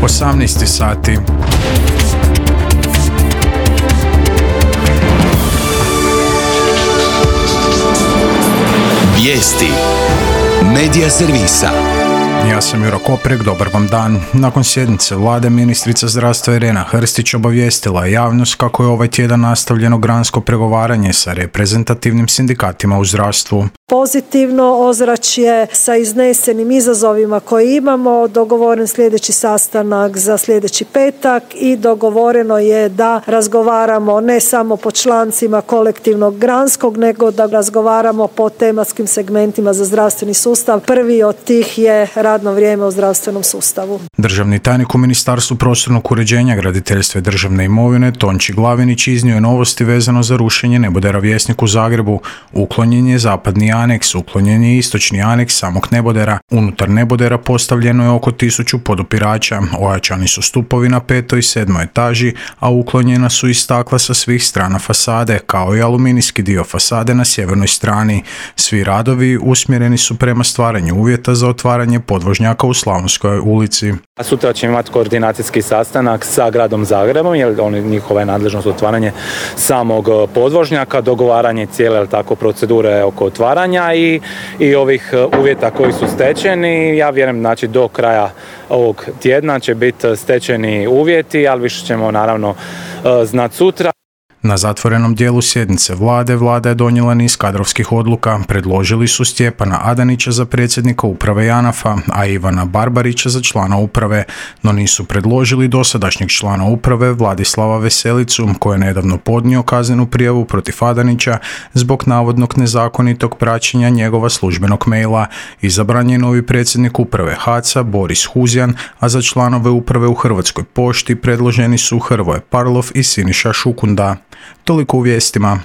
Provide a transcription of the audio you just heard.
18 sati. Vijesti Medija servisa. Ja sam Juro Koprek, dobar vam dan. Nakon sjednice vlade, ministrica zdravstva Irena Hrstić obavijestila je javnost kako je ovaj tjedan nastavljeno gransko pregovaranje sa reprezentativnim sindikatima u zdravstvu. Pozitivno ozračje sa iznesenim izazovima koje imamo, dogovoren sljedeći sastanak za sljedeći petak i dogovoreno je da razgovaramo ne samo po člancima kolektivnog granskog, nego da razgovaramo po tematskim segmentima za zdravstveni sustav. Prvi od tih je radno vrijeme u zdravstvenom sustavu. Državni tajnik u Ministarstvu prostornog uređenja, graditeljstva i državne imovine Tonči Glavinić iznio je novosti vezano za rušenje nebodera Vjesnik u Zagrebu. Uklonjen je zapadni aneks, uklonjen je istočni aneks samog nebodera. Unutar nebodera postavljeno je oko 1000 podupirača, ojačani su stupovi na 5. i 7. etaži, a uklonjena su i stakla sa svih strana fasade, kao i aluminijski dio fasade na sjevernoj strani. Svi radovi usmjereni su prema stvaranju uvjeta za otvaranje podvožnjaka u Slavonskoj ulici. Sutra ćemo imati koordinacijski sastanak sa gradom Zagrebom, jer njihova je nadležnost otvaranje samog podvožnjaka, dogovaranje cijele procedure oko otvaranja i ovih uvjeta koji su stečeni. Ja vjerujem, znači do kraja ovog tjedna će biti stečeni uvjeti, ali više ćemo naravno znati sutra. Na zatvorenom dijelu sjednice vlada je donijela niz kadrovskih odluka. Predložili su Stjepana Adanića za predsjednika uprave JANAF-a, a Ivana Barbarića za člana uprave, no nisu predložili dosadašnjeg člana uprave Vladislava Veselicu, koji je nedavno podnio kaznenu prijavu protiv Adanića zbog navodnog nezakonitog praćenja njegova službenog maila. Izabran je novi predsjednik uprave HAC-a Boris Huzjan, a za članove uprave u Hrvatskoj pošti predloženi su Hrvoje Parlov i Siniša Šukunda. Toliko u vijestima.